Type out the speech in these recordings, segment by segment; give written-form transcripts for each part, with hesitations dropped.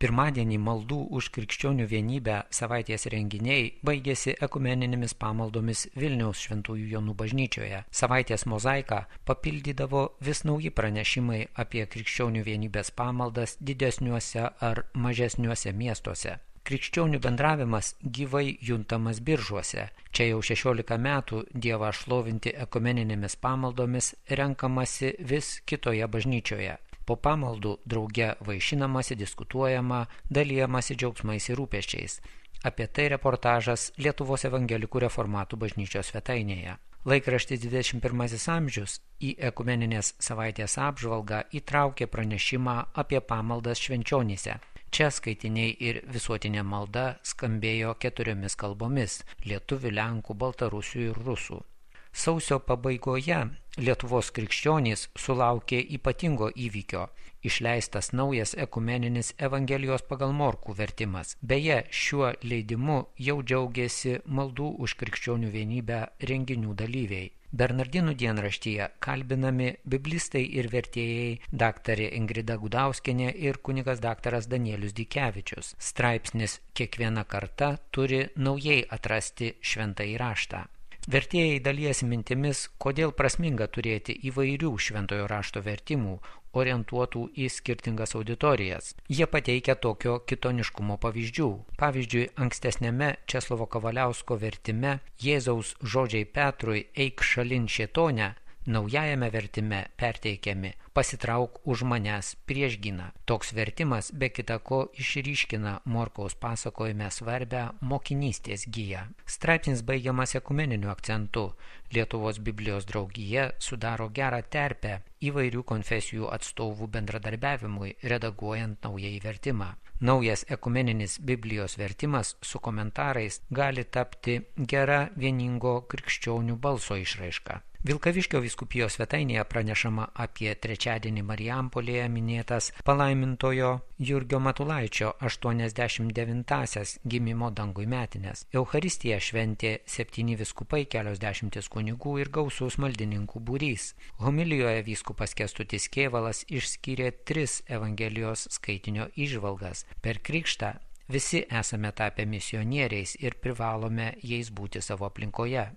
Pirmadienį maldų už krikščionių vienybę savaitės renginiai baigėsi ekumeninėmis pamaldomis Vilniaus Šventųjų Jonų bažnyčioje. Savaitės mozaiką papildydavo vis nauji pranešimai apie krikščionių vienybės pamaldas didesniuose ar mažesniuose miestuose. Krikščionių bendravimas gyvai juntamas Biržuose. Čia jau 16 metų Dievą šlovinti ekumeninėmis pamaldomis renkamasi vis kitoje bažnyčioje. Po pamaldų drauge vaišinamasi, diskutuojama, dalijamasi džiaugsmais ir rūpesčiais. Apie tai reportažas Lietuvos evangelikų reformatų bažnyčios svetainėje. Laikraštis 21 amžius į ekumeninės savaitės apžvalgą įtraukė pranešimą apie pamaldas Švenčionyse. Čia skaitiniai ir visuotinė malda skambėjo 4 kalbomis – lietuvių, lenkų, baltarusių ir rusų. Sausio pabaigoje Lietuvos krikščionys sulaukė ypatingo įvykio – išleistas naujas ekumeninis Evangelijos pagal Morkų vertimas. Beje, šiuo leidimu jau džiaugiasi maldų už krikščionių vienybę renginių dalyviai. Bernardinų dienraštyje kalbinami biblistai ir vertėjai daktarė Ingrida Gudauskienė ir kunigas daktaras Danielius Dikevičius. Straipsnis "Kiekviena karta turi naujai atrasti šventąjį raštą". Vertėjai dalijasi mintimis, kodėl prasminga turėti įvairių šventojo rašto vertimų, orientuotų į skirtingas auditorijas. Jie pateikia tokio kitoniškumo pavyzdžių. Pavyzdžiui, ankstesniame Česlovo Kavaliausko vertime Jėzaus žodžiai Petrui "Eik šalin šėtone", naujajame vertime perteikiami "Pasitrauk už manęs priešgyną". Toks vertimas be kita ko išryškina Morkaus pasakojime svarbę mokinystės giją. Straipsnis baigiamas ekumeniniu akcentu. Lietuvos Biblijos draugija sudaro gerą terpę įvairių konfesijų atstovų bendradarbiavimui, redaguojant naująjį vertimą. Naujas ekumeninis Biblijos vertimas su komentarais gali tapti gera vieningo krikščionių balso išraiška. Vilkaviškio vyskupijos svetainėje pranešama apie trečiadienį Marijampolėje minėtas palaimintojo Jurgio Matulaičio 89-asias gimimo dangui metines. Eucharistiją šventė 7 vyskupai, kelios dešimtis kunigų ir gausus maldininkų būrys. Homilijoje vyskupas Kęstutis Kėvalas išskyrė 3 Evangelijos skaitinio įžvalgas. Per krikštą visi esame tapę misionieriais ir privalome jais būti savo aplinkoje.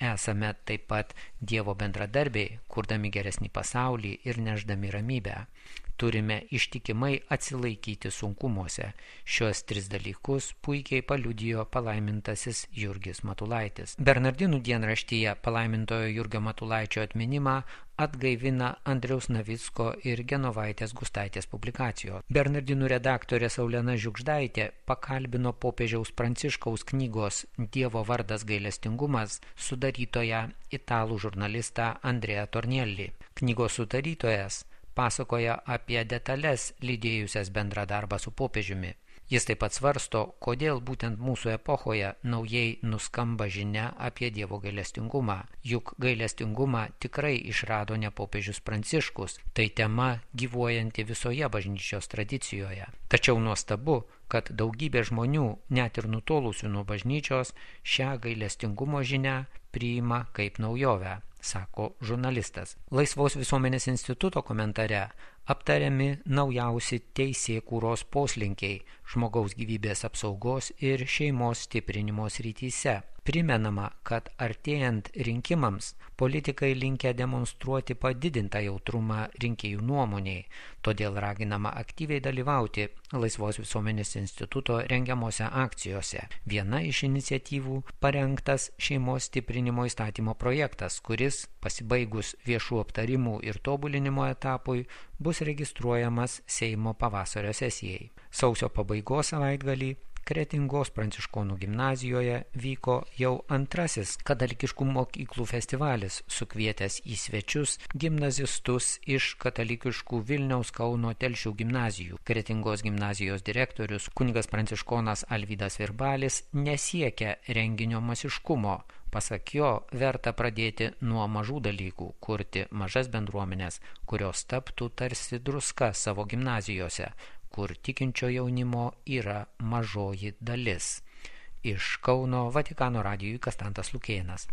Esame taip pat Dievo bendradarbiai, kurdami geresnį pasaulį ir nešdami ramybę. Turime ištikimai atsilaikyti sunkumuose. Šios 3 dalykus puikiai paliudijo palaimintasis Jurgis Matulaitis. Bernardinų dienraštyje palaimintojo Jurgio Matulaičio atminimą atgaivina Andriaus Navicko ir Genovaitės Gustaitės publikacijos. Bernardinų redaktorė Saulena Žiugždaitė pakalbino popiežiaus Pranciškaus knygos "Dievo vardas gailestingumas" sudarytoją italų žurnalistą Andrea Tornielli. Knygos sudarytojas pasakoja apie detalės lydėjusias bendrą darbą su popiežiumi. Jis taip pat svarsto, kodėl būtent mūsų epochoje naujai nuskamba žinia apie Dievo gailestingumą. Juk gailestingumą tikrai išrado ne popiežius Pranciškus, tai tema gyvuojanti visoje bažnyčios tradicijoje. Tačiau nuostabu, kad daugybė žmonių, net ir nutolusių nuo bažnyčios, šią gailestingumo žinią priima kaip naujovę, sako žurnalistas. Laisvos visuomenės instituto komentare aptariami naujausi teisėkūros poslinkiai žmogaus gyvybės apsaugos ir šeimos stiprinimo srityse. Primenama, kad artėjant rinkimams politikai linkę demonstruoti padidintą jautrumą rinkėjų nuomoniai, todėl raginama aktyviai dalyvauti Laisvos visuomenės instituto rengiamose akcijose. Viena iš iniciatyvų parengtas šeimos stiprinimo įstatymo projektas, kuris, pasibaigus viešų aptarimų ir tobulinimo etapui, bus registruojamas Seimo pavasario sesijai. Sausio pabaigos savaitgalį Kretingos pranciškonų gimnazijoje vyko jau antrasis katalikiškų mokyklų festivalis, sukvietęs į svečius gimnazistus iš katalikiškų Vilniaus, Kauno, Telšių gimnazijų. Kretingos gimnazijos direktorius kunigas pranciškonas Alvydas Virbalis nesiekia renginio masiškumo. Pasak jo, verta pradėti nuo mažų dalykų, kurti mažas bendruomenės, kurios taptų tarsi druska savo gimnazijose, kur tikinčio jaunimo yra mažoji dalis. Iš Kauno Vatikano radijui Kastantas Lukėnas.